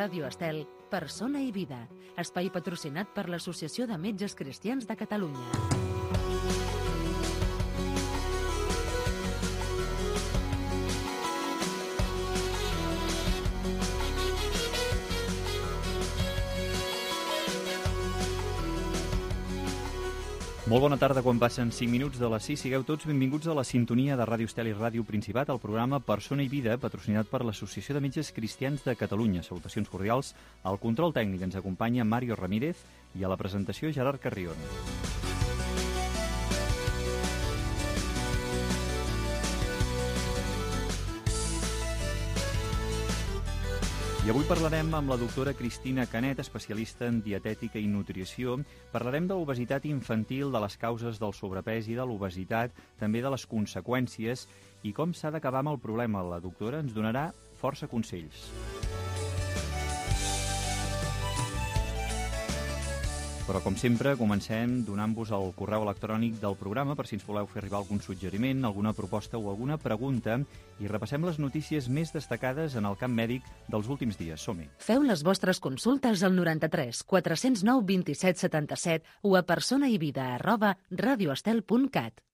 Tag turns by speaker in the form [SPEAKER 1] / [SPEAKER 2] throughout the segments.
[SPEAKER 1] Ràdio Estel, Persona i Vida, espai patrocinat per l'Associació de Metges Cristians de Catalunya.
[SPEAKER 2] Molt bona tarda, quan passen 5 minuts de les 6. Sigueu tots benvinguts a la sintonia de Ràdio Estel i Ràdio Principat, al programa Persona i Vida, patrocinat per l'Associació de Metges Cristians de Catalunya. Salutacions cordials. Al control tècnic ens acompanya Mario Ramírez i a la presentació Gerard Carrion. I avui parlarem amb la doctora Cristina Canet, especialista en dietètica i nutrició. Parlarem de l'obesitat infantil, de les causes del sobrepès i de l'obesitat, també de les conseqüències i com s'ha d'acabar amb el problema. La doctora ens donarà força consells. Però, com sempre, comencem donant-vos el correu electrònic del programa per si ens voleu fer arribar algun suggeriment, alguna proposta o alguna pregunta, i repassem les notícies més destacades en el camp mèdic dels últims dies. Som-hi.
[SPEAKER 1] Feu les vostres consultes al 93 409 27 77 o a personaivida@radioestel.cat.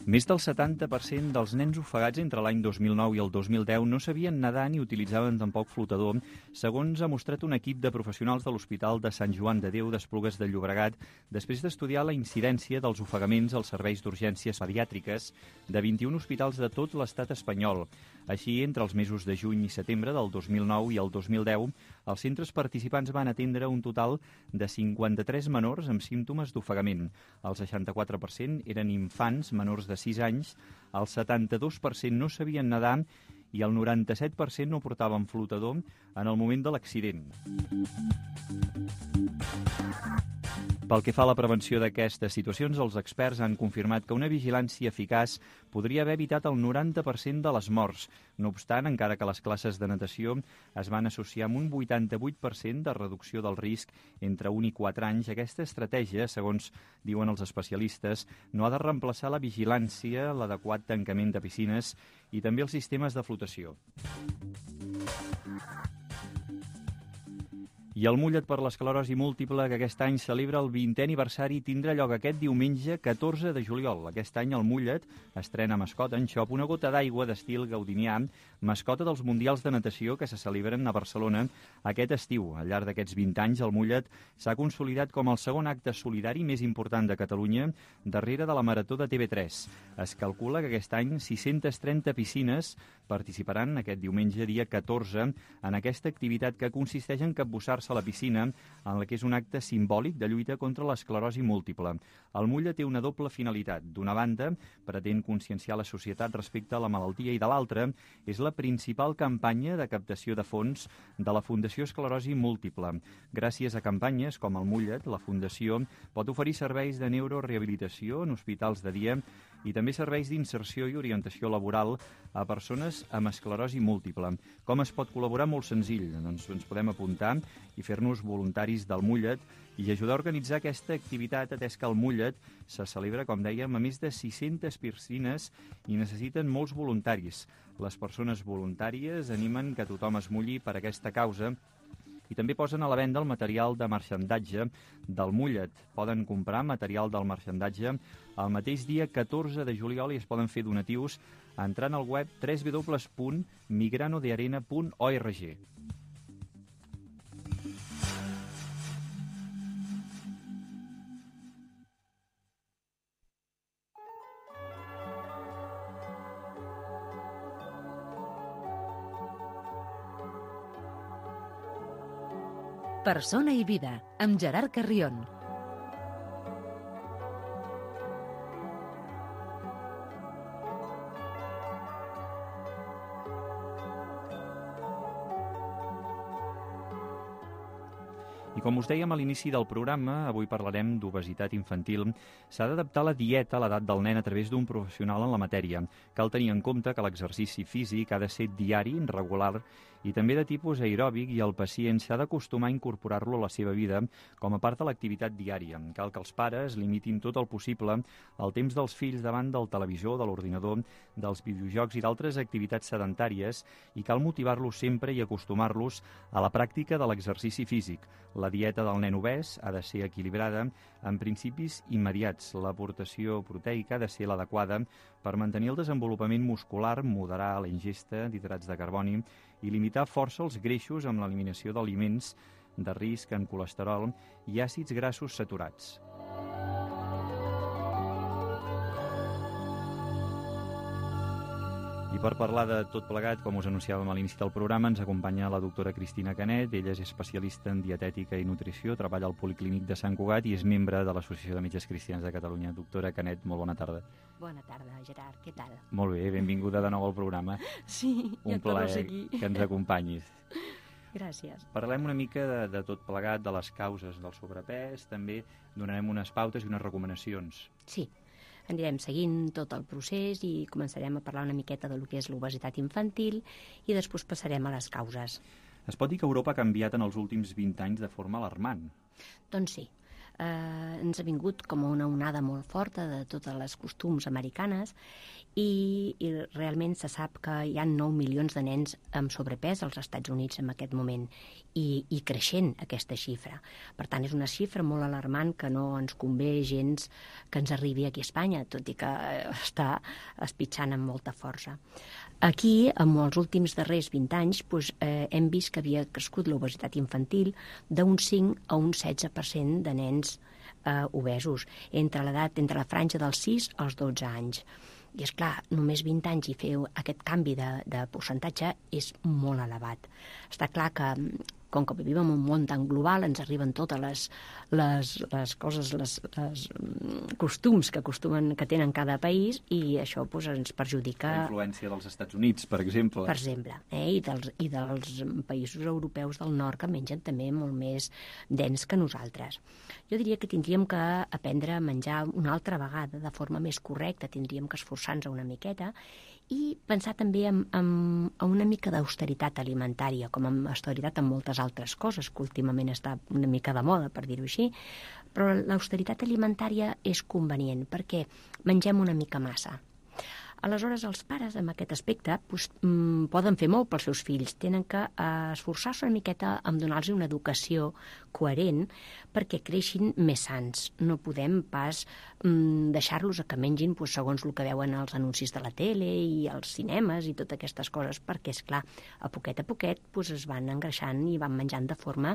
[SPEAKER 2] Més del 70% dels nens ofegats entre l'any 2009 i el 2010 no sabien nedar ni utilitzaven tampoc flotador, segons ha mostrat un equip de professionals de l'Hospital de Sant Joan de Déu d'Esplugues de Llobregat, després d'estudiar la incidència dels ofegaments als serveis d'urgències pediàtriques de 21 hospitals de tot l'estat espanyol. Així, entre els mesos de juny i setembre del 2009 i el 2010, els centres participants van atendre un total de 53 menors amb símptomes d'ofegament. El 64% eren infants menors de 6 anys, el 72% no sabien nedar i el 97% no portaven flotador en el moment de l'accident. Pel que fa a la prevenció d'aquestes situacions, els experts han confirmat que una vigilància eficaç podria haver evitat el 90% de les morts. No obstant, encara que les classes de natació es van associar amb un 88% de reducció del risc entre 1 i 4 anys, aquesta estratègia, segons diuen els especialistes, no ha de reemplaçar la vigilància, l'adequat tancament de piscines i també els sistemes de flotació. I el Mullet per l'esclerosi múltiple, que aquest any celebra el 20è aniversari, tindrà lloc aquest diumenge 14 de juliol. Aquest any el Mullet estrena mascota en xop, una gota d'aigua d'estil gaudinià, mascota dels Mundials de Natació que se celebren a Barcelona aquest estiu. Al llarg d'aquests 20 anys, el Mullet s'ha consolidat com el segon acte solidari més important de Catalunya, darrere de la Marató de TV3. Es calcula que aquest any 630 piscines participaran aquest diumenge, dia 14, en aquesta activitat que consisteix en capbussar-se a la piscina, en la que és un acte simbòlic de lluita contra l'esclerosi múltiple. El Mullet té una doble finalitat. D'una banda, pretén conscienciar la societat respecte a la malaltia i de l'altra, és la principal campanya de captació de fons de la Fundació Esclerosi Múltiple. Gràcies a campanyes com el Mullet, la Fundació pot oferir serveis de neurorehabilitació en hospitals de dia i també serveis d'inserció i orientació laboral a persones amb esclerosi múltiple. Com es pot col·laborar? Molt senzill. Doncs ens podem apuntar i fer-nos voluntaris del Mullet i ajudar a organitzar aquesta activitat, atès que el Mullet se celebra, com dèiem, a més de 600 piscines i necessiten molts voluntaris. Les persones voluntàries animen que tothom es mulli per aquesta causa i també posen a la venda el material de marxandatge del Mullet. Poden comprar material del marxandatge el mateix dia 14 de juliol i es poden fer donatius entrant al web www.migranodearena.org.
[SPEAKER 1] Persona i Vida, amb Gerard Carrion.
[SPEAKER 2] I com us dèiem a l'inici del programa, avui parlarem d'obesitat infantil. S'ha d'adaptar la dieta a l'edat del nen a través d'un professional en la matèria. Cal tenir en compte que l'exercici físic ha de ser diari, regular i també de tipus aeròbic, i el pacient s'ha d'acostumar a incorporar-lo a la seva vida com a part de l'activitat diària. Cal que els pares limitin tot el possible el temps dels fills davant del televisor, de l'ordinador, dels videojocs i d'altres activitats sedentàries, i cal motivar-los sempre i acostumar-los a la pràctica de l'exercici físic. La dieta del nen obès ha de ser equilibrada amb principis immediats. L'aportació proteica ha de ser l'adequada per mantenir el desenvolupament muscular, moderar la ingesta d'hidrats de carboni i limitar força els greixos amb l'eliminació d'aliments de risc en colesterol i àcids grassos saturats. I per parlar de tot plegat, com us anunciàvem a l'inici del programa, ens acompanya la doctora Cristina Canet. Ella és especialista en dietètica i nutrició, treballa al Policlínic de Sant Cugat i és membre de l'Associació de Metges Cristians de Catalunya. Doctora Canet, molt bona tarda.
[SPEAKER 3] Bona tarda, Gerard, què tal?
[SPEAKER 2] Molt bé, benvinguda de nou al programa.
[SPEAKER 3] Sí, ja torno a ser aquí.
[SPEAKER 2] Un plaer que ens acompanyis.
[SPEAKER 3] Gràcies.
[SPEAKER 2] Parlem una mica de tot plegat, de les causes del sobrepès, també donarem unes pautes i unes recomanacions.
[SPEAKER 3] Sí, anirem seguint tot el procés i començarem a parlar una miqueta del que és l'obesitat infantil i després passarem a les causes.
[SPEAKER 2] Es pot dir que Europa ha canviat en els últims 20 anys de forma alarmant.
[SPEAKER 3] Doncs sí. Ens ha vingut com una onada molt forta de totes les costums americanes i realment se sap que hi ha 9 milions de nens amb sobrepès als Estats Units en aquest moment i creixent aquesta xifra. Per tant, és una xifra molt alarmant que no ens convé gens que ens arribi aquí a Espanya, tot i que està espitxant amb molta força. Aquí, en els últims darrers 20 anys, hem vist que havia crescut l'obesitat infantil d'un 5 a un 16% de nens obesos, entre la franja dels 6 als 12 anys. I, esclar, només 20 anys i fer aquest canvi de percentatge és molt elevat. Està clar que, com que vivim en un món tan global, ens arriben totes les coses, els costums que tenen cada país i això ens perjudica.
[SPEAKER 2] La influència dels Estats Units, per exemple.
[SPEAKER 3] Per exemple, i dels països europeus del nord que mengen també molt més dens que nosaltres. Jo diria que tindríem que aprendre a menjar una altra vegada de forma més correcta, tindríem que esforçar-nos una miqueta i pensar també en una mica d'austeritat alimentària, com en austeritat en moltes altres coses, que últimament està una mica de moda, per dir-ho així, però l'austeritat alimentària és convenient perquè mengem una mica massa. Aleshores, els pares, en aquest aspecte, poden fer molt pels seus fills. Tenen que esforçar-se una miqueta en donar-los una educació coherent perquè creixin més sans. No podem pas deixar-los que mengin segons el que veuen als anuncis de la tele i als cinemes i totes aquestes coses, perquè, esclar, a poquet es van engreixant i van menjant de forma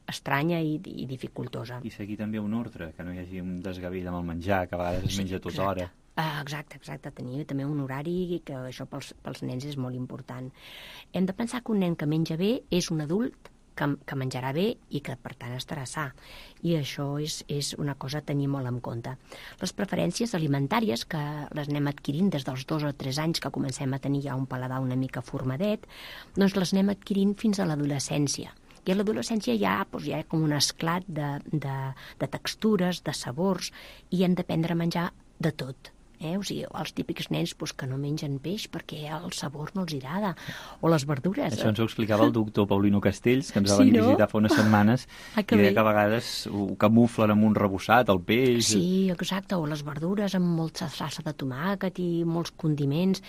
[SPEAKER 3] estranya i dificultosa.
[SPEAKER 2] I seguir també un ordre, que no hi hagi un desgavell amb el menjar, que a vegades es menja tota hora.
[SPEAKER 3] Exacte. Tenir també un horari, que això pels nens és molt important. Hem de pensar que un nen que menja bé és un adult que menjarà bé i que, per tant, estarà sa. I això és una cosa a tenir molt en compte. Les preferències alimentàries, que les anem adquirint des dels 2 o 3 anys que comencem a tenir ja un paladar una mica formadet, doncs les anem adquirint fins a l'adolescència. I a l'adolescència hi ha com un esclat de textures, de sabors, i hem d'aprendre a menjar de tot. O sigui, els típics nens que no mengen peix perquè el sabor no els agrada, o les verdures.
[SPEAKER 2] Això ens ho explicava el doctor Paulino Castells, que ens va venir a visitar fa unes setmanes, i deia que a vegades ho camuflen amb un rebossat, el peix.
[SPEAKER 3] Sí, exacte, o les verdures amb molta salsa de tomàquet i molts condiments.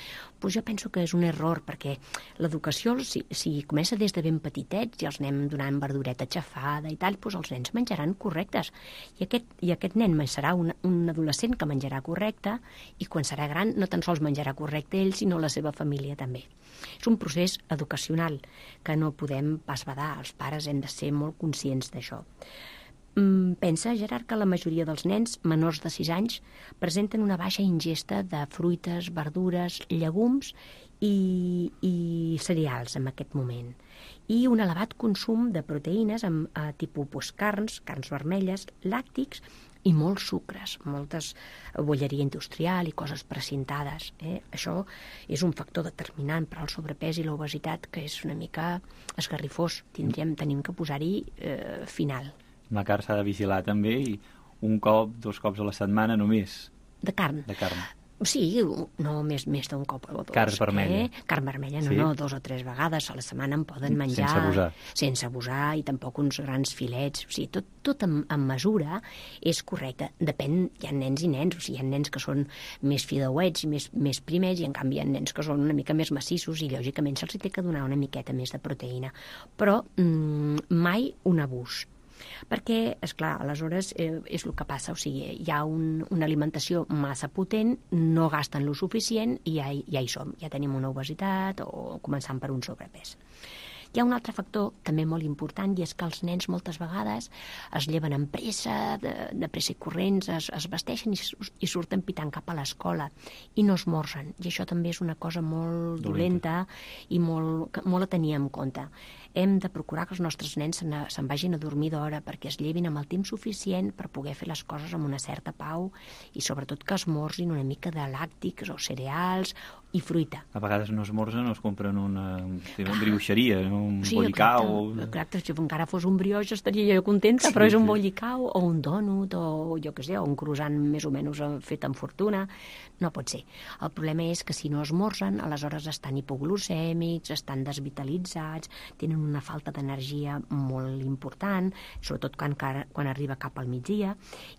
[SPEAKER 3] Jo penso que és un error, perquè l'educació, si comença des de ben petitets i els anem donant verdureta xafada i tal, els nens menjaran correctes. I aquest nen serà un adolescent que menjarà correcte, i quan serà gran no tan sols menjarà correcte ell, sinó la seva família també. És un procés educacional que no podem pas badar. Els pares hem de ser molt conscients d'això. Pensa, Gerard, que la majoria dels nens menors de 6 anys presenten una baixa ingesta de fruites, verdures, llegums i cereals en aquest moment. I un elevat consum de proteïnes tipus carns vermelles, làctics i molts sucres, moltes bolleria industrial i coses precintades. Això és un factor determinant per al sobrepès i l'obesitat que és una mica esgarrifós. Tenim que posar-hi final.
[SPEAKER 2] La carn s'ha de vigilar també, i 1 cop, 2 cops a la setmana només.
[SPEAKER 3] De carn. Sí, no més d'un cop o dos.
[SPEAKER 2] Carn vermella.
[SPEAKER 3] Carn vermella,
[SPEAKER 2] Sí.
[SPEAKER 3] no, 2 o 3 vegades a la setmana en poden menjar.
[SPEAKER 2] Sense abusar.
[SPEAKER 3] Sense abusar, i tampoc uns grans filets. O sigui, tot en mesura és correcte. Depèn, hi ha nens i nens. O sigui, hi ha nens que són més fideuets i més primers, i en canvi hi ha nens que són una mica més massissos, i lògicament se'ls té que donar una miqueta més de proteïna. Però mai un abús. Perquè, esclar, aleshores és el que passa, o sigui, hi ha una alimentació massa potent, no gasten lo suficient i ja hi som, ja tenim una obesitat o començant per un sobrepès. Hi ha un altre factor també molt important, i és que els nens moltes vegades es lleven amb pressa, de pressa i corrents, es vesteixen i surten pitant cap a l'escola i no esmorzen. I això també és una cosa molt dolenta i molt a tenir en compte. Hem de procurar que els nostres nens se'n vagin a dormir d'hora, perquè es llevin amb el temps suficient per poder fer les coses amb una certa pau, i sobretot que esmorzin una mica de làctics o cereals i fruita.
[SPEAKER 2] A vegades no esmorzen, es compren una brioixeria, un bollicau.
[SPEAKER 3] Exacte, si encara fos un brioix estaria jo contenta, però és un bollicau o un dònut o jo què sé, o un croissant més o menys fet amb fortuna. No pot ser. El problema és que si no esmorzen, aleshores estan hipoglucèmics, estan desvitalitzats, tenen una falta d'energia molt important, sobretot quan arriba cap al migdia,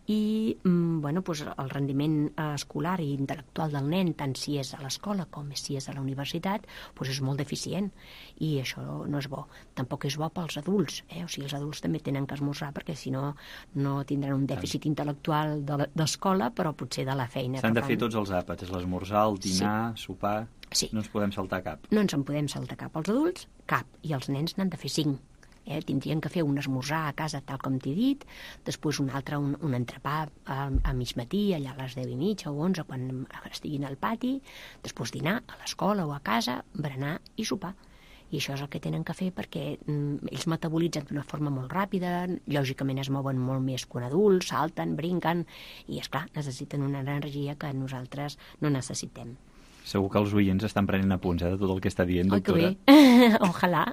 [SPEAKER 3] i el rendiment escolar i intel·lectual del nen, tant si és a l'escola com si és a la universitat, és molt deficient, i això no és bo. Tampoc és bo pels adults, o sigui, els adults també tenen que esmorzar, perquè si no, no tindran un dèficit intel·lectual d'escola, però potser de la feina.
[SPEAKER 2] S'han de fer tots els àpats, l'esmorzar, el dinar, sopar...
[SPEAKER 3] Sí.
[SPEAKER 2] No ens podem saltar cap.
[SPEAKER 3] No ens en podem saltar cap. Els adults, cap. I els nens n'han de fer 5. Tindrien que fer un esmorzar a casa, tal com t'he dit, després un altre, un entrepà a mig matí, allà a les 10:30 o 11, quan estiguin al pati, després dinar a l'escola o a casa, berenar i sopar. I això és el que tenen que fer, perquè ells metabolitzen d'una forma molt ràpida, lògicament es mouen molt més que un adult, salten, brinquen, i, esclar, necessiten una energia que nosaltres no necessitem.
[SPEAKER 2] Segur que els oients estan prenent apunts de tot el que està dient, doctora.
[SPEAKER 3] Que bé. Ojalà.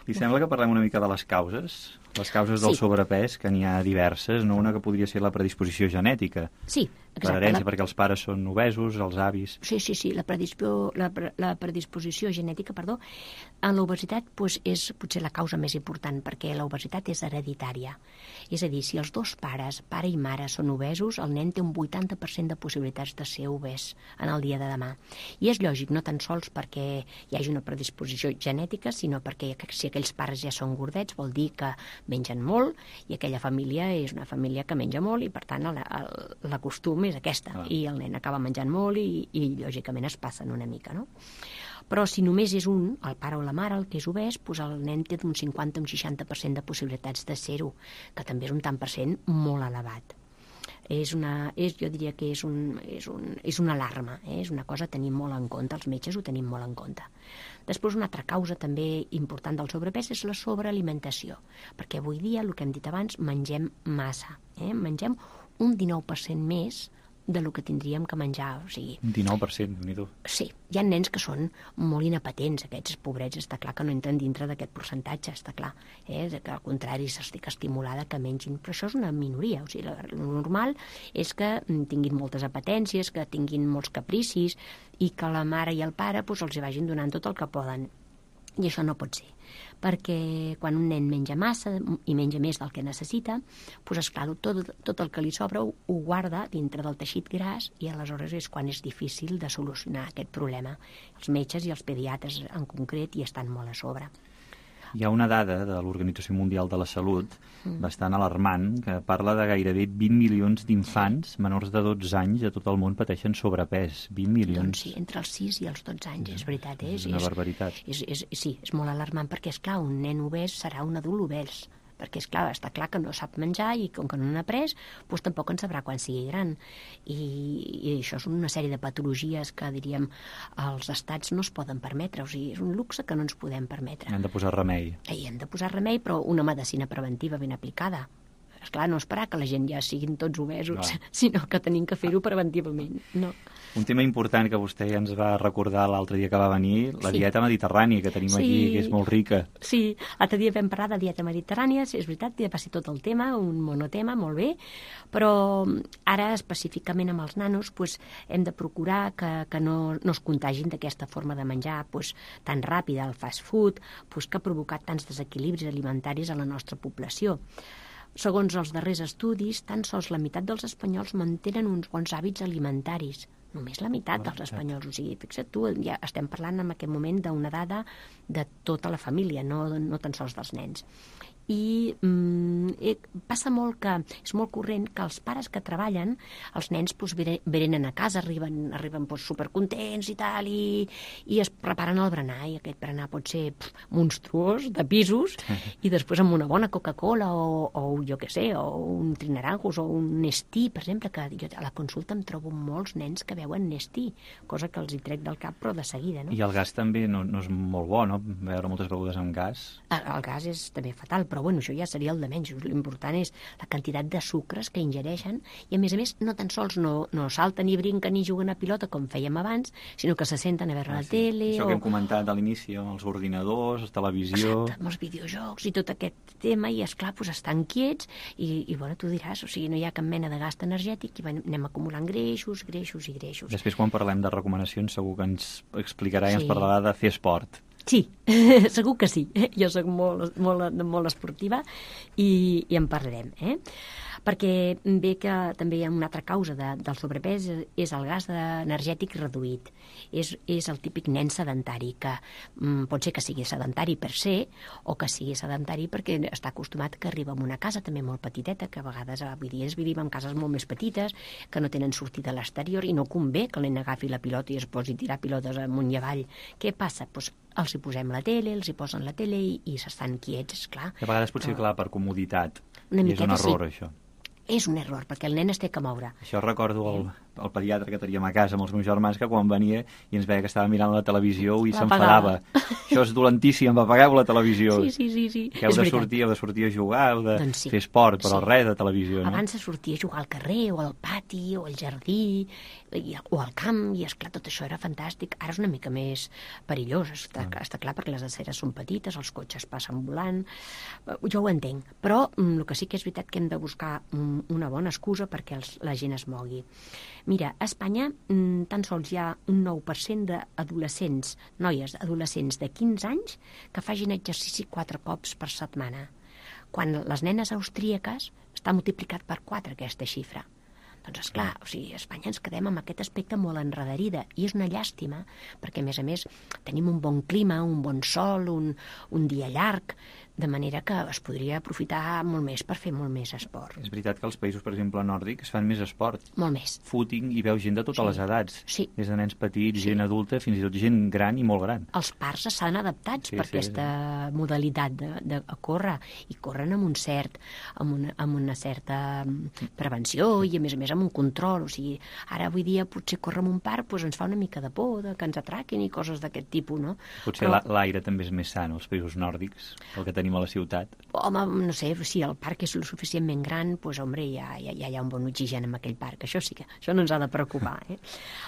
[SPEAKER 2] Li sembla que parlem una mica de les causes? Les causes del sobrepès, que n'hi ha diverses, no? Una que podria ser la predisposició genètica.
[SPEAKER 3] Sí, exacte.
[SPEAKER 2] Per herència, perquè els pares són obesos, els avis...
[SPEAKER 3] Sí, la predisposició genètica, en l'obesitat és potser la causa més important, perquè l'obesitat és hereditària. És a dir, si els dos pares, pare i mare, són obesos, el nen té un 80% de possibilitats de ser obès en el dia de demà. I és lògic, no tan sols perquè hi hagi una predisposició genètica, sinó perquè si aquells pares ja són gordets, vol dir que mengen molt, i aquella família és una família que menja molt, i per tant la costum és aquesta, i el nen acaba menjant molt i lògicament es passen una mica, no? Però si només és un, el pare o la mare, el que és obès, el nen té d'un 50 a un 60% de possibilitats de ser-ho, que també és un tant per cent molt elevat. Jo diria que és una alarma, és una cosa a tenir molt en compte, els metges ho tenim molt en compte. Després, una altra causa també important del sobrepès és la sobrealimentació, perquè avui dia, el que hem dit abans, mengem massa, mengem un 19% més del que tindríem que menjar, o sigui...
[SPEAKER 2] Un 19%, déu-n'hi-do.
[SPEAKER 3] Sí, hi ha nens que són molt inapetents, aquests pobrets, està clar que no entren dintre d'aquest percentatge, està clar, que al contrari s'estic estimulada que mengin, però això és una minoria, o sigui, el normal és que tinguin moltes apetències, que tinguin molts capricis, i que la mare i el pare els vagin donant tot el que poden. I això no pot ser, perquè quan un nen menja massa i menja més del que necessita, esclar, tot el que li sobra ho guarda dintre del teixit gras, i aleshores és quan és difícil de solucionar aquest problema. Els metges i els pediatres en concret hi estan molt a sobre.
[SPEAKER 2] Hi ha una dada de l'Organització Mundial de la Salut bastant alarmant, que parla de gairebé 20 milions d'infants menors de 12 anys a tot el món pateixen sobrepès. 20 milions.
[SPEAKER 3] Doncs sí, entre els 6 i els 12 anys, és veritat.
[SPEAKER 2] És una barbaritat.
[SPEAKER 3] Sí, és molt alarmant, perquè, esclar, un nen obès serà un adult obès, perquè, esclar, està clar que no sap menjar, i com que no n'ha après, tampoc en sabrà quan sigui gran. I això és una sèrie de patologies que, diríem, els estats no es poden permetre, o sigui, és un luxe que no ens podem permetre.
[SPEAKER 2] Han de posar remei.
[SPEAKER 3] Hem de posar remei, però una medicina preventiva ben aplicada. Esclar, no esperar que la gent ja siguin tots obesos, sinó que tenim que fer-ho preventivament. No.
[SPEAKER 2] Un tema important que vostè ja ens va recordar l'altre dia que va venir, la dieta mediterrània que tenim aquí, que és molt rica.
[SPEAKER 3] Sí, l'altre dia vam parlar de dieta mediterrània, és veritat, ja va ser tot el tema, un monotema, molt bé, però ara específicament amb els nanos hem de procurar que no es contagin d'aquesta forma de menjar tan ràpida, el fast food, que ha provocat tants desequilibris alimentaris a la nostra població. Segons els darrers estudis, tan sols la meitat dels espanyols mantenen uns bons hàbits alimentaris. Només la meitat dels espanyols. O sigui, fixa't tu, ja estem parlant en aquest moment d'una dada de tota la família, no tan sols dels nens. I passa molt que és molt corrent que els pares que treballen, els nens venen a casa, arriben supercontents i tal, i es preparen el berenar, i aquest berenar pot ser monstruós, de pisos, i després amb una bona Coca-Cola o jo què sé, o un Trinaranjos o un Nestí, per exemple, que jo a la consulta em trobo molts nens que beuen Nestí, cosa que els hi trec del cap, però de seguida, no?
[SPEAKER 2] I el gas també no és molt bo, no? Beure moltes begudes amb gas.
[SPEAKER 3] El gas és també fatal, però bueno, això ja seria el de menys. L'important és la quantitat de sucres que ingereixen i, a més, no tan sols no salten ni brinquen ni juguen a pilota com fèiem abans, sinó que se senten a veure la tele.
[SPEAKER 2] Això que hem comentat a l'inici, amb els ordinadors, la televisió...
[SPEAKER 3] Exacte, amb els videojocs i tot aquest tema, i esclar, estan quiets i bueno, tu diràs, o sigui, no hi ha cap mena de gast energètic i anem acumulant greixos.
[SPEAKER 2] Després, quan parlem de recomanacions, segur que ens explicarà i ens parlarà de fer esport.
[SPEAKER 3] Sí, segur que sí. Jo soc molt esportiva i en parlarem. Perquè ve que també hi ha una altra causa del sobrepès, és el gas energètic reduït. És el típic nen sedentari, que pot ser que sigui sedentari per ser, o que sigui sedentari perquè està acostumat que arriba a una casa també molt petiteta, que a vegades avui dia vivim en cases molt més petites, que no tenen sortida a l'exterior, i no convé que el nen agafi la pilota i es posi a tirar pilotes amunt i avall. Què passa? Els hi posem la tele, els hi posen la tele i s'estan quiets, esclar.
[SPEAKER 2] A vegades potser, clar, per comoditat. I és un error, això.
[SPEAKER 3] És un error, perquè el nen es té que moure.
[SPEAKER 2] Això recordo el pediatre que teníem a casa amb els meus germans, que quan venia i ens veia que estava mirant la televisió i s'enfadava. Això és dolentíssim, apagueu la televisió.
[SPEAKER 3] Sí.
[SPEAKER 2] Que heu de sortir a jugar, heu de fer esport, però res de televisió, no?
[SPEAKER 3] Abans de sortir a jugar al carrer, o al pati, o al jardí, o al camp, i esclar, tot això era fantàstic. Ara és una mica més perillós, està clar, perquè les aceres són petites, els cotxes passen volant, jo ho entenc, però el que sí que és veritat que hem de buscar una bona excusa perquè la gent es mogui. Mira, a Espanya tan sols hi ha un 9% d'adolescents, noies adolescents de 15 anys, que facin exercici 4 cops per setmana, quan les nenes austríaques està multiplicat per 4 aquesta xifra. Doncs, esclar, o sigui, a Espanya ens quedem amb aquest aspecte molt enredarida, i és una llàstima, perquè, a més, tenim un bon clima, un bon sol, un dia llarg, de manera que es podria aprofitar molt més per fer molt més esport.
[SPEAKER 2] És veritat que als països, per exemple, nòrdics, fan més esport.
[SPEAKER 3] Molt més.
[SPEAKER 2] Footing, i veu gent de totes les edats.
[SPEAKER 3] Sí.
[SPEAKER 2] Des de nens petits, gent adulta, fins i tot gent gran i molt gran.
[SPEAKER 3] Els parcs s'han adaptats per aquesta modalitat de córrer, i corren amb una certa prevenció i, a més, amb un control. O sigui, ara avui dia potser córrer en un parc ens fa una mica de por, que ens atraquin i coses d'aquest tipus, no?
[SPEAKER 2] Potser l'aire també és més sant als països nòrdics, el que tenim a la ciutat.
[SPEAKER 3] Home, no sé, si el parc és lo suficientment gran, doncs, home, ja hi ha un bon oxigen en aquell parc. Això sí que això no ens ha de preocupar.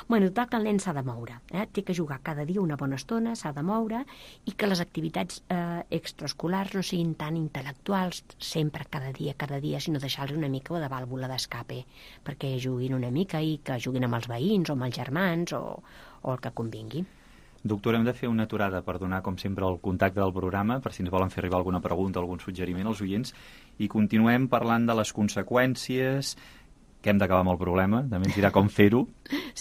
[SPEAKER 3] Bueno, total, que el nen s'ha de moure. Té que jugar cada dia una bona estona, s'ha de moure, i que les activitats extraescolars no siguin tan intel·lectuals, sempre, cada dia, sinó deixar-li una mica de vàlvula d'escape, perquè juguin una mica i que juguin amb els veïns o amb els germans o el que convingui.
[SPEAKER 2] Doctora, hem de fer una aturada per donar, com sempre, el contacte del programa, per si ens volen fer arribar alguna pregunta, algun suggeriment als oients, i continuem parlant de les conseqüències, que hem d'acabar amb el problema, també ens dirà com fer-ho,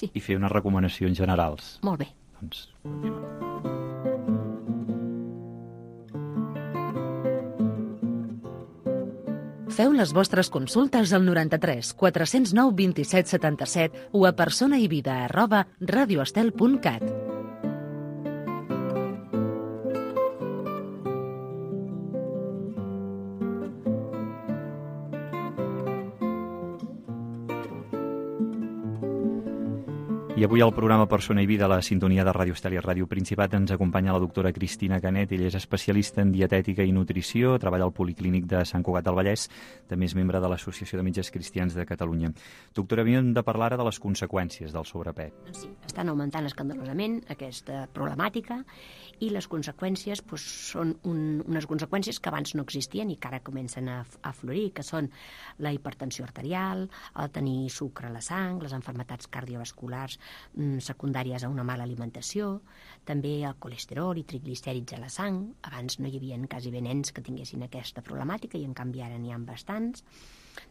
[SPEAKER 2] i fer unes recomanacions generals.
[SPEAKER 3] Molt bé.
[SPEAKER 2] Doncs, continuem.
[SPEAKER 1] Feu les vostres consultes al 93 409 27 77 o a personaivida@radioestel.cat.
[SPEAKER 2] I avui al programa Persona i Vida, a la sintonia de Ràdio Estel i Ràdio Principat, ens acompanya la doctora Cristina Canet. Ella és especialista en dietètica i nutrició, treballa al Policlínic de Sant Cugat del Vallès, també és membre de l'Associació de Metges Cristians de Catalunya. Doctora, havíem de parlar ara de les conseqüències del sobrepès.
[SPEAKER 3] Sí, estan augmentant escandalosament aquesta problemàtica i les conseqüències són unes conseqüències que abans no existien i que ara comencen a florir, que són la hipertensió arterial, el tenir sucre a la sang, les malalties cardiovasculars secundàries a una mala alimentació, també el colesterol i triglicèrids a la sang. Abans no hi havia quasi nens que tinguessin aquesta problemàtica i en canvi ara n'hi ha bastants.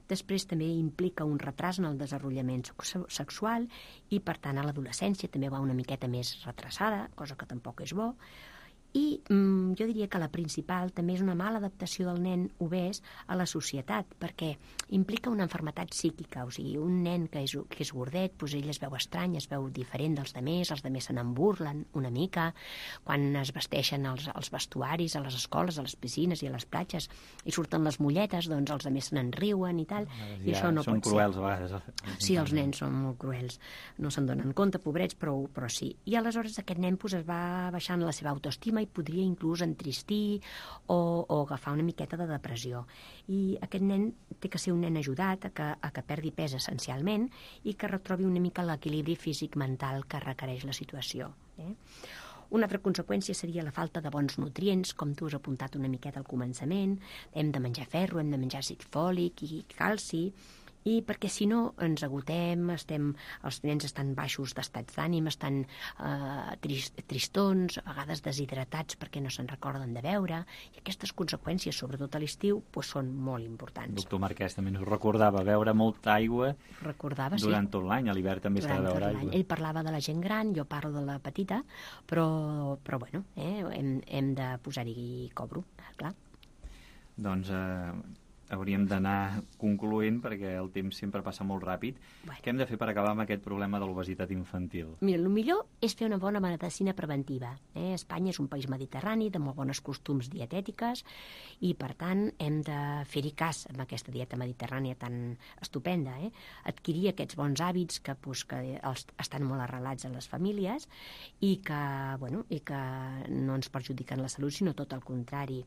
[SPEAKER 3] Després també implica un retras en el desenvolupament sexual i per tant a l'adolescència també va una miqueta més retrasada, cosa que tampoc és bo. I jo diria que la principal també és una mala adaptació del nen obès a la societat, perquè implica una malaltia psíquica, o sigui, un nen que és gordet, doncs ell es veu estrany, es veu diferent dels demés, els demés se n'en burlen una mica, quan es vesteixen els vestuaris a les escoles, a les piscines i a les platges, i surten les mulletes, doncs els demés se n'en riuen i tal, i això no pot ser.
[SPEAKER 2] Són cruels a vegades.
[SPEAKER 3] Sí, els nens són molt cruels, no se'n donen compte, pobrets, però sí. I aleshores aquest nen es va baixant la seva autoestima i podria inclús entristir o agafar una miqueta de depressió. I aquest nen té que ser un nen ajudat a que perdi pes essencialment i que retrobi una mica l'equilibri físic-mental que requereix la situació. Una altra conseqüència seria la falta de bons nutrients, com tu has apuntat una miqueta al començament. Hem de menjar ferro, hem de menjar àcid fòlic i calci, i perquè si no ens agotem, els nens estan baixos d'estats d'ànim, estan tristons, a vegades deshidratats perquè no se'n recorden de beure, i aquestes conseqüències, sobretot a l'estiu, són molt importants.
[SPEAKER 2] Doctor Marquès també ens recordava beure molta aigua durant tot l'any, a l'hivern també s'ha de beure aigua.
[SPEAKER 3] Ell parlava de la gent gran, jo parlo de la petita, però bueno, hem de posar-hi cobro, clar.
[SPEAKER 2] Doncs hauríem d'anar concloent perquè el temps sempre passa molt ràpid. Què hem de fer per acabar amb aquest problema de l'obesitat infantil?
[SPEAKER 3] Mira, el millor és fer una bona medicina preventiva. Espanya és un país mediterrani de molt bones costums dietètiques i, per tant, hem de fer-hi cas amb aquesta dieta mediterrània tan estupenda. Adquirir aquests bons hàbits que estan molt arrelats a les famílies i que no ens perjudiquen la salut, sinó tot el contrari.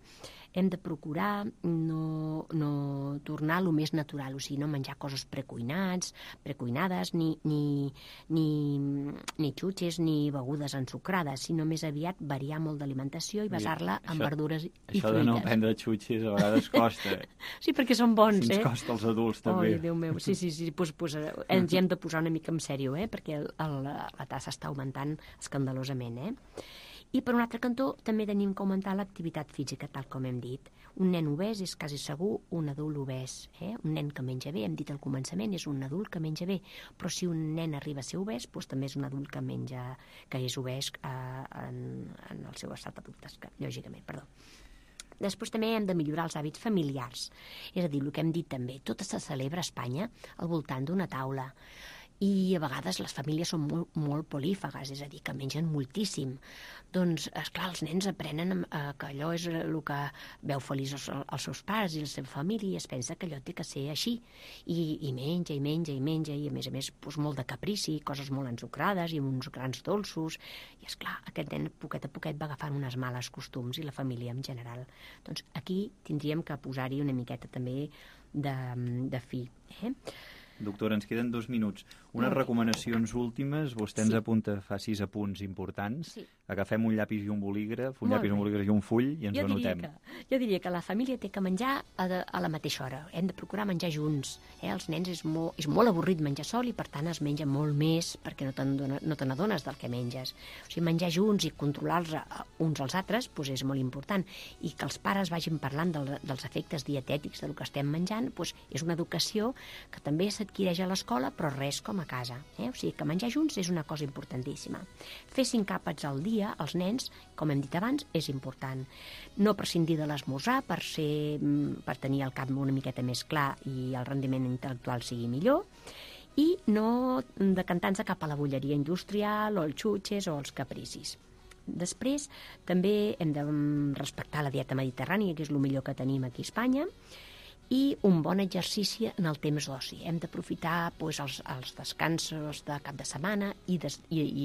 [SPEAKER 3] Hem de procurar no tornar a lo més natural, o sigui, no menjar coses precuinades, ni xutxes, ni begudes ensucrades, sinó més aviat variar molt d'alimentació i basar-la en verdures i fruites.
[SPEAKER 2] Això de no prendre xutxes a vegades costa.
[SPEAKER 3] Sí, perquè són bons,
[SPEAKER 2] ens costa als adults, també.
[SPEAKER 3] Ai, Déu meu, sí, ens hi hem de posar una mica en sèrio, perquè la tassa està augmentant escandalosament, I per un altre cantó també tenim que augmentar l'activitat física, tal com hem dit. Un nen obès és quasi segur un adult obès. Un nen que menja bé, hem dit al començament, és un adult que menja bé, però si un nen arriba a ser obès, també és un adult que és obès en el seu estat adult, lògicament, perdó. Després també hem de millorar els hàbits familiars. És a dir, el que hem dit també, tot se celebra a Espanya al voltant d'una taula. I a vegades les famílies són molt polífagues, és a dir, que mengen moltíssim. Doncs, esclar, els nens aprenen que allò és el que veu feliç els seus pares i la seva família i es pensa que allò té que ser així. I menja, i a més, molt de caprici, coses molt ensucrades i uns grans dolços. I, esclar, aquest nen poquet a poquet va agafant unes males costums i la família en general. Doncs aquí tindríem que posar-hi una miqueta també de fi.
[SPEAKER 2] Doctora, ens queden 2 minuts. Unes recomanacions últimes. Vostè ens apunta, fa 6 apunts importants.
[SPEAKER 3] Sí.
[SPEAKER 2] Agafem un llapis i un bolígraf, i un full i ens ho anotem.
[SPEAKER 3] Jo diria que la família té que menjar a la mateixa hora. Hem de procurar menjar junts. Els nens és molt avorrit menjar sol i per tant es menja molt més perquè no te n'adones del que menges. O sigui, menjar junts i controlar-los uns als altres és molt important. I que els pares vagin parlant dels efectes dietètics del que estem menjant és una educació que també s'adquireix a l'escola però res com a casa. O sigui que menjar junts és una cosa importantíssima. Fer 5 àpats al dia als nens, com hem dit abans, és important. No prescindir de l'esmorzar per tenir el cap una miqueta més clar i el rendiment intel·lectual sigui millor i no decantar-se cap a la bolleria industrial o els xutxes o els capricis. Després, també hem de respectar la dieta mediterrània, que és el millor que tenim aquí a Espanya, i un bon exercici en el temps d'oci. Hem d'aprofitar els descansos de cap de setmana i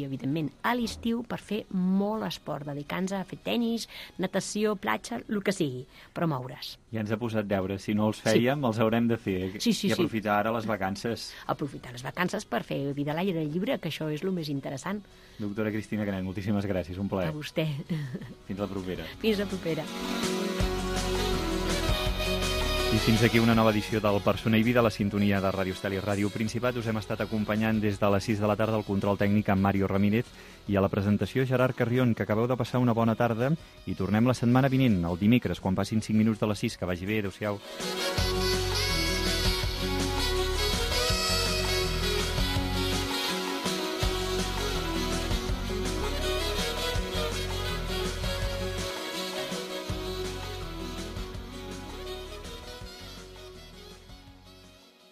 [SPEAKER 3] evidentment, a l'estiu per fer molt esport, dedicar-nos a fer tenis, natació, platja, el que sigui, però moure's.
[SPEAKER 2] Ja ens ha posat deures. Si no els fèiem, els haurem de fer. I aprofitar ara les vacances.
[SPEAKER 3] Aprofitar les vacances per fer vida a l'aire lliure, que això és el més interessant.
[SPEAKER 2] Doctora Cristina Canet, moltíssimes gràcies. Un plaer.
[SPEAKER 3] A vostè.
[SPEAKER 2] Fins la propera.
[SPEAKER 3] Fins la propera.
[SPEAKER 2] I fins aquí una nova edició del Persona i Vida, la sintonia de Ràdio Estel i Ràdio Principat. Us hem estat acompanyant des de les 6 de la tarda al control tècnic amb Mario Ramírez i a la presentació Gerard Carrion, que acabeu de passar una bona tarda i tornem la setmana vinent, el dimecres, quan passin 5 minuts de les 6. Que vagi bé, adéu-siau.